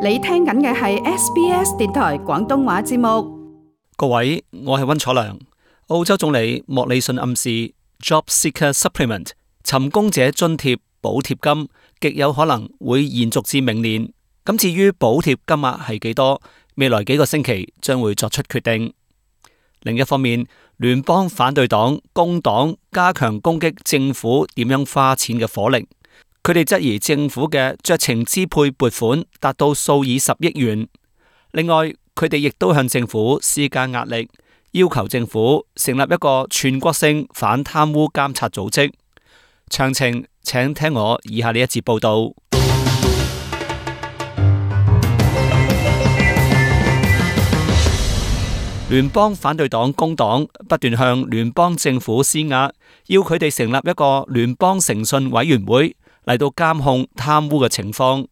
你聽緊嘅係 SBS 電台廣東話節目。各位，我係溫楚良。澳洲總理莫里遜暗示 Job Seeker Supplement 尋工者津貼補貼金極有可能會延續至明年。咁至於補貼金額係幾多，未來幾個星期將會作出決定。另一方面，聯邦反對黨工黨加強攻擊政府點樣花錢嘅火力。佢哋質疑政府嘅酌情支配撥款達到數以十億元。另外，佢哋亦都向政府施加壓力，要求政府成立一個全國性反貪污監察組織。詳情請聽我以下呢一節報道。聯邦反對黨工黨不斷向聯邦政府施壓，要佢哋成立一個聯邦誠信委員會嚟到監控貪污嘅情況。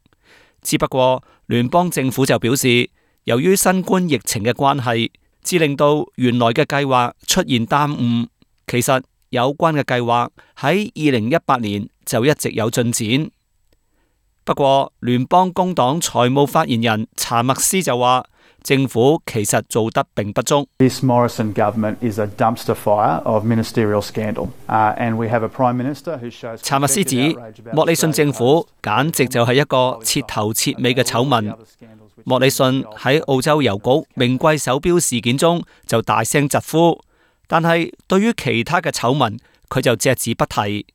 只不過聯邦政府就表示，由於新冠疫情嘅關係，致令到原來嘅計劃出現耽誤。其實有關嘅計劃喺2018年就一直有進展。不過聯邦工黨財務發言人查默斯就話，政府其實做得並不足。This Morrison government is a dumpster fire of ministerial scandal, and we have a prime minister who shows. 查默斯指，莫里遜政府簡直就係一個徹頭徹尾嘅醜聞。莫里遜喺澳洲郵局名貴手錶事件中就大聲疾呼，但係對於其他嘅醜聞，佢就隻字不提。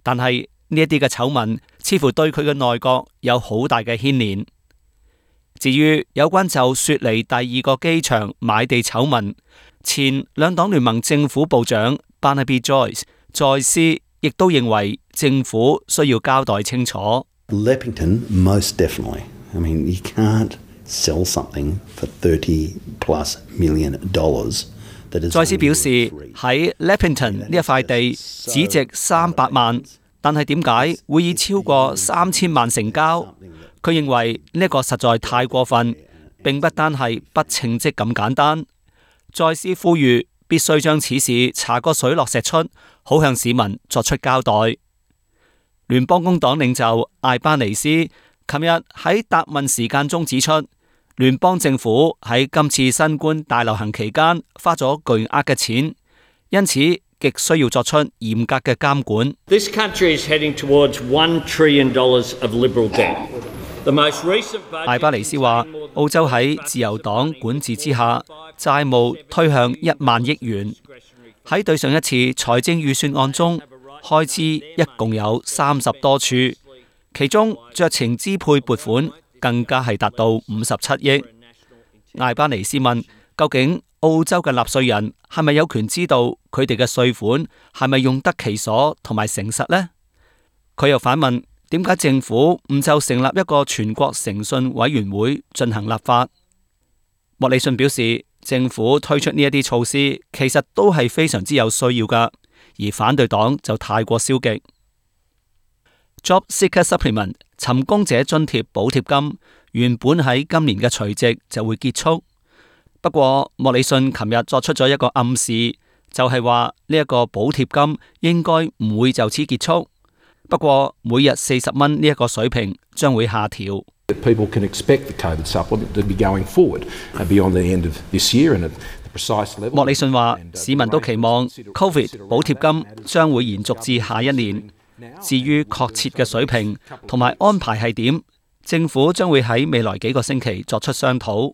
但係呢一啲嘅醜聞，似乎對佢嘅內閣有好大嘅牽連。至於有關就雪梨第二個機場買地醜聞，前兩黨聯盟政府部長 Barnaby Joyce 在斯亦都認為政府需要交代清楚。Leppington most definitely. I mean, you can't sell something for $30+ million. 在斯表示喺 Leppington 呢一塊地只值300萬，但係點解會以超過3000萬成交？佢認為呢個實在太過分，並不單係不稱職咁簡單。再次呼籲必須將此事查個水落石出，好向市民作出交代。聯邦工黨領袖艾巴尼斯琴日喺答問時間中指出，聯邦政府喺今次新冠大流行期間花咗巨額嘅錢，因此極需要作出嚴格嘅監管。This country is heading towards $1 trillion of liberal debt. 艾巴尼斯話，澳洲喺自由黨管治之下，債務推向1萬億元。喺對上一次財政預算案中，開支一共有30多處，其中酌情支配撥款更加係達到57億。艾巴尼斯問，究竟澳洲嘅納稅人係咪有權知道佢哋嘅稅款係咪用得其所同埋誠實呢？佢又反問，點解政府唔就成立一個全國誠信委員會進行立法？莫里遜表示，政府推出呢一啲措施其實都係非常之有需要噶，而反對黨就太過消極。Job Seeker Supplement 尋工者津貼補貼金原本喺今年嘅除夕就會結束，不過莫里遜琴日作出咗一個暗示，就係話呢一個補貼金應該唔會就此結束。不過每日40蚊呢一個水平將會下調。People can expect the COVID supplement to be going forward beyond the end of this year and at the precise level. 莫里遜話，市民都期望 COVID 補貼金將會延續至下一年。至於確切嘅水平同埋安排係點，政府將會喺未來幾個星期作出商討。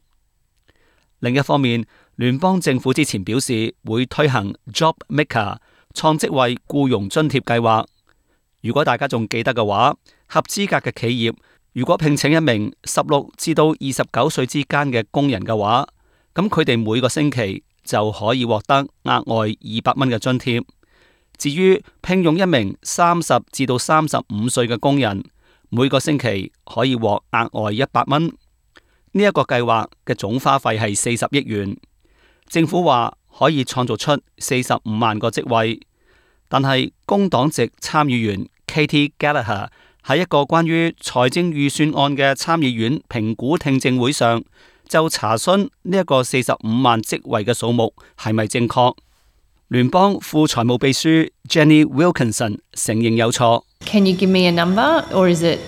另一方面，聯邦政府之前表示會推行 Job Maker 創職位僱傭津貼計劃。如果大家仲記得嘅話，合資格嘅企業如果聘請一名16至到29歲之間嘅工人嘅話，咁佢哋每個星期就可以獲得額外200蚊嘅津貼。至於聘用一名30至到35歲嘅工人，每個星期可以獲額外100蚊。呢一個計劃嘅總花費係40億元。政府話可以創造出45萬個職位。但係工黨籍參議員 Katie Gallagher 喺一個關於財政預算案嘅參議院評估聽證會上，就查詢呢一個45萬職位嘅數目係咪正確。聯邦副財務秘書 Jenny Wilkinson 承認有錯。Can you give me a number, or is it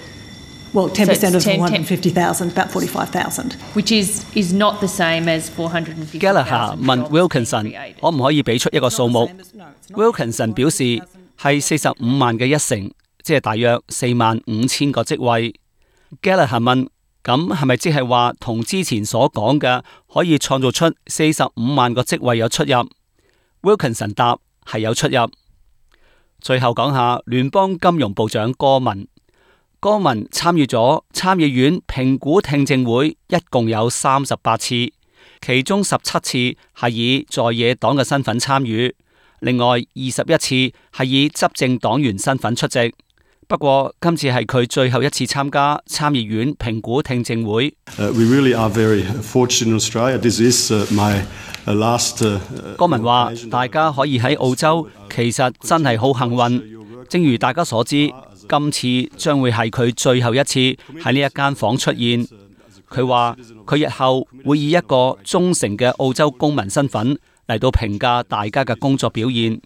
Well, 10% of 10 450,000, about 45,000. which is not the same as 450,000. Gallagher 問 Wilkinson 可唔可以俾出一個數目 ？Wilkinson 表示係45萬嘅一成，即係大約45,000個職位。Gallagher 問咁係咪即係話同之前所講嘅可以創造出45萬個職位有出入 ？Wilkinson 答係有出入。最後講下聯邦金融部長戈文。戈文參與咗參議院評估聽證會，一共有38次，其中17次係以在野黨嘅身份參與，另外21次係以執政黨員身份出席。不過今次係佢最後一次參加參議院評估聽證會。We really are very fortunate in Australia. This is my last. 戈文話：大家可以喺澳洲，其實真係好幸運。正如大家所知，今次將會係佢最後一次喺呢一間房出現。佢話：佢日後會以一個忠誠嘅澳洲公民身份嚟到評價大家嘅工作表現。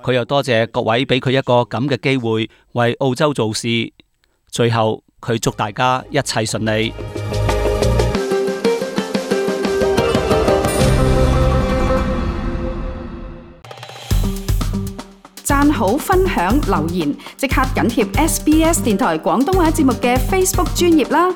佢又多謝各位俾佢一個咁嘅機會為澳洲做事。最後佢祝大家一切順利。讚好、分享、留言，即刻緊貼SBS 電台廣東話節目嘅 Facebook 專頁啦！